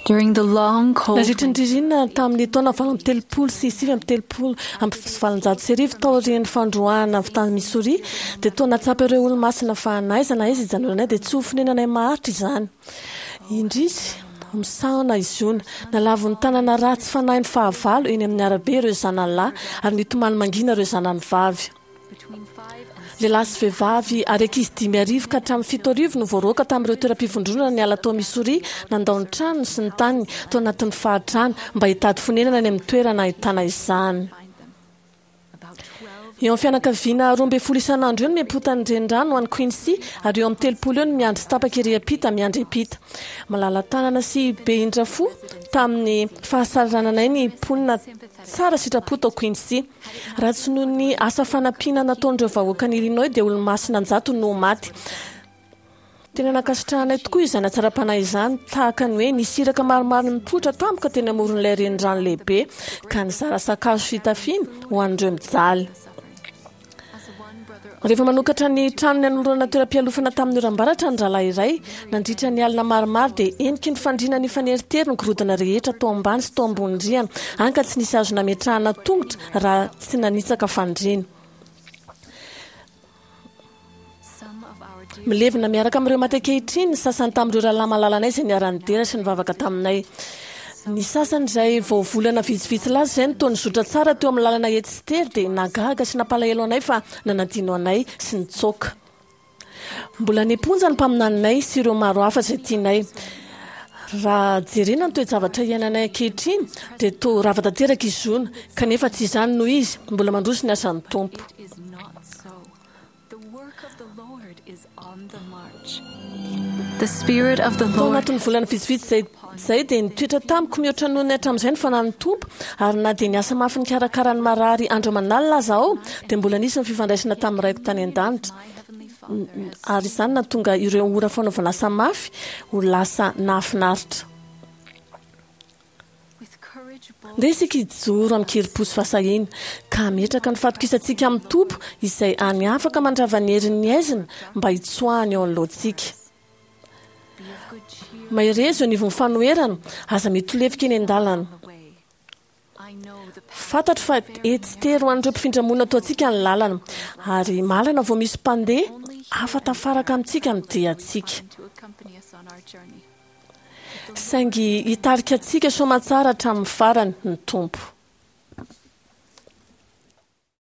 During the long cold Nandritra ny ririnina tamin'ny taona 1838 taorian'ny fandroahana avy tany Missouri, dia toa nahatsapa ireo Olomasina fa na aiza na aiza hijanonanay dia tsy ho fonenanay maharitra izany. Indrisy, misaona i Ziona. Nalavon'ny tanana ratsy fanahin'ny fahavalo eny amin'ny arabe ireo zanany lahy ary nitomany mangina ireo zanany vavy. Lehilahy sy vehivavy ary ankizy 5000 ka hatramin'ny 7000 no voaroaka tamin'ireo toeram-pivondronana niala tao Missouri, nandao ny tranony sy ny taniny tao anatin'ny fahantrana mba hitady fonenana any amin'ny toerana ahitana izany. Eo amin'ny fianakaviana 12 isan'andro eo no miampotan'ny renirano any Quincy ary eo amin'ny 30 eo no miandry tsy tapaka ery am-pita miandry am-pita. Malala-tanana sy be indra fo tamin'ny fahasahirananay ny mponina tsara sitrapo tao Quincy. Raha tsy noho ny asa fanampiana nataon'ireo vahoakan'i Illinois dia olo-masina an-jatony no ho maty. Tena nankasitrahanay tokoa izany hatsaram-panahy izany, tahaka ny hoe nisy iraka maromaro nipoitra tampoka teny amoron'ilay renirano lehibe ka nizara sakafo sy fitafiana ho an'ireo mijaly. Rehefa manokatra ny tranony hanolorana toeram-pialofana tamin'ny oram-baratra ny rahalahy iray, nandritra ny alina maromaro dia heniky ny fandriana nifaneritery ny gorodona rehetra tao ambany sy tao ambony rihana, hany ka tsy nisy azo nametrahana tongotra raha tsy nanitsaka fandriana. Milevina miaraka amin'ireo maty ankehitriny ny sasany tamin'ireo rahalahy malalanay izay niara-nidera sy nivavaka taminay. Ny sasany izay vao volana vitsivitsy lasa izay no toa nizotra tsara teo amin'ny lalana etsy sy tery dia nahagaga sy nampalahelo anay fa nanadino anay sy nitsoaka. Mbola any am-ponja ny mpaminaninay sy ireo maro hafa izay tianay. Raha jerena ny toe-javatra iainanay ankehitriny dia toa rava tanteraka i Ziona, kanefa tsy izany no izy, mbola mandroso ny asan'ny Tompo. Tao anatin'ny volana vitsivitsy izay izay dia nitoetra tamiko mihoatra noho ny hatramin'izay ny Fanahin'ny Tompo, ary na dia niasa mafy nikarakara ny marary andro aman'alina aza aho, dia mbola nisy ny fifandraisana tamin'ny Raiko tany an-danitra, ary izany nahatonga ireo ora fanaovana asa mafy ho lasa nahafinaritra. Ndeha isika hijoro amin-kerim-po sy fahasahiana, ka hametraka ny fatokisantsika amin'ny Tompo izay hany afaka mandrava ny herin'ny haizina mba hitsoahany eo anoloantsika. Mahereza eo anivon'ny fanoherana, aza mitolefika eny an-dalana. Fantatro fa etsy tery ho an'ireo mpifindra-monina toa antsika ny lalana, ary mahalana vao misy mpandeha hafa tafaraka amintsika amin'ny diantsika. Saingy hitarika antsika soamantsara hatramin'ny farany ny Tompo.